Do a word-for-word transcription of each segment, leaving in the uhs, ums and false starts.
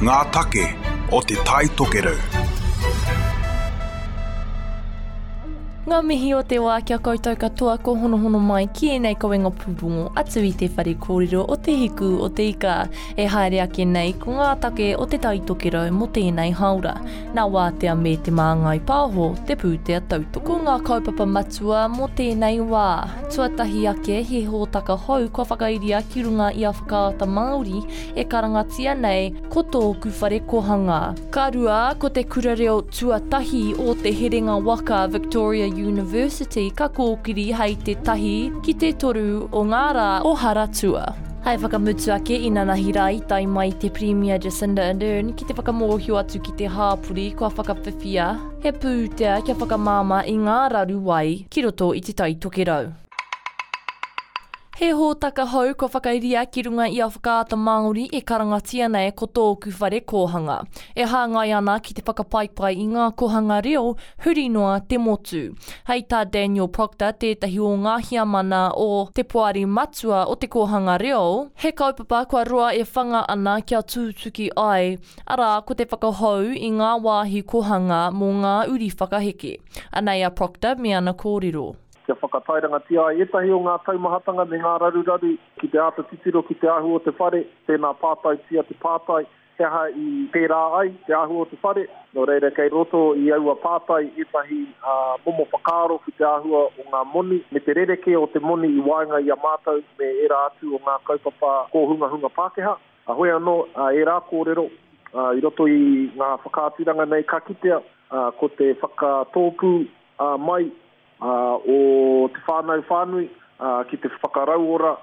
Ngā take o Te Tai Tokerau. Ngā mihi o te wā kia koutou katoa ko honohono mai ki ēnei kawenga pūrongo atu i te whare kōrero o Te Hiku o Te Ika. E haere ake nei ko ngā take o Te Tai Tokerau mō tēnei hāora. Nā Wātea me Te Māngai Pāho te pūtea tautoko. Ko ngā kaupapa matua mō tēnei wā. Tuatahi ake he hōtaka hou kua whakairia ki runga i a Whakaata Māori e karangatia nei ko Tōku Whare Kohanga. Ka rua, ko te kura reo tuatahi o te herenga waka Victoria University ka kōkiri hei te tahi ki te toru o ngā rā o Haratua. Hei whakamutu ake inanahi rā i tae mai te Pirimia Jacinda Ardern ki te whakamōhio atu ki te hāpori kua whakawhiwhia he pūtea kia whakamāmā i ngā raru wai ki roto i Te Tai Tokerau. He hōtaka hou kua whakairia ki runga i a Whakaata Māori e karangatia nei ko Tōku Whare Kōhanga. E hāngai ana ki te whakapaipai i ngā kohanga reo huri noa te motu. Hei tā Daniel Proctor, tētahi o ngā hiamana o te poari matua o te kōhanga reo, he kaupapa kua roa e whanga ana kia tūtuki ai, arā ko te whakahou i ngā wāhi kohanga mō ngā uri whakaheke. Anei a Proctor me ana kōrero. Kia whakatairangatia ai ētahi o ngā taumahatanga me ngā raruraru ki te āta titiro ki te āhua o te whare, tēnā pātaitia te pātai, he aha i pērā ai te āhua o te whare. Nō reira kei roto i aua pātai ētahi uh, momo whakaaro ki te āhua o ngā moni, me te rerekē o te moni i waenga i a mātou me ērā atu o ngā kaupapa kōhungahunga Pākehā. A hoi anō, uh, ērā kōrero, uh, i roto i ngā whakaaturanga nei ka kitea, uh, ko te whakatōpū uh, mai Uh, o te whānau whānui uh, ki te whakarauora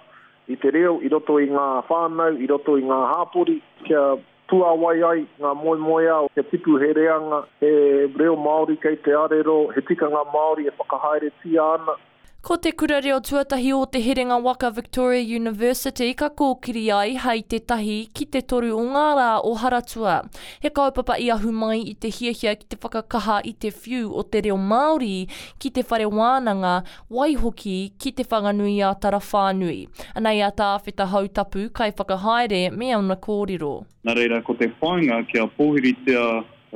i te reo i roto i ngā whānau, i roto i ngā hāpori, kia puāwai ai ngā moemoeā, kia tipu he reanga, he reo Māori kei te arero, he tikanga Māori e whakahaeretia ana. Ko te kura reo tuatahi o te herenga waka Victoria University ka kōkiri ai hei te tahi ki te toru o ngā rā o Haratua. He kaupapa i ahu mai i te hiahia ki te whakakaha i te whiu o te reo Māori ki te whare wānanga, waihoki ki te Whanganui-ā-Tara whānui. Anei a Tāwheta Hautapu, kaiwhakahaere me ana kōrero. Nā reira, ko te whāinga kia pōhiritia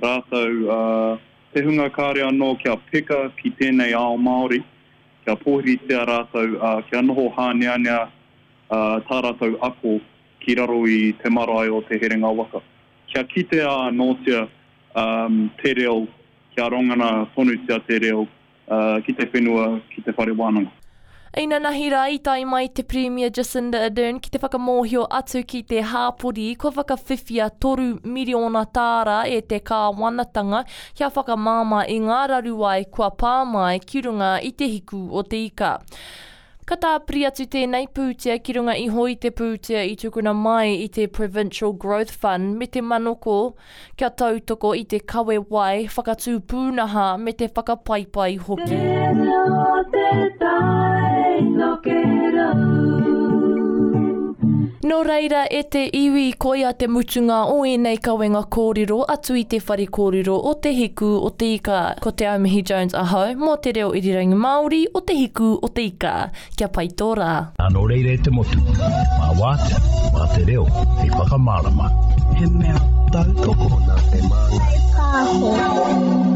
rātou uh, te hunga kāre anō kia peka ki tēnei ao Māori, kia pōhiritia rātou, uh, kia noho hāneanea uh, tā rātou ako ki raro i te marae o te herenga waka. Kia kitea anōtia um, te reo, kia rongana tonutia te reo uh, ki te whenua, ki te whare wānanga. Inanahi rā i tae mai te Pirimia Jacinda Ardern ki te whakamōhio atu ki te hāpori kua whakawhiwhia toru miriona tāra e te kāwanatanga kia whakamāmā i ngā raruwai kua pā mai ki runga i te hiku o te ika. Ka tāpiri atu tēnei pūtea ki runga iho i te pūtea i tukuna mai i te Provincial Growth Fund me te manoko kia tautoko i te kawe wai, whakatū pūnaha me te whakapaipai hoki. Nō reira e te iwi koia te mutunga o ēnei kawenga kōrero atu i te whare kōrero o Te Hiku o Te Ika. Ko Te Aumihi Jones ahau mō te reo irirangi Māori o Te Hiku o Te Ika. Kia pai tō rā. Nō reira e te motu, mā wātea, mā te reo, hei whakamārama. He mea tautoko nā Te Māngai Pāho.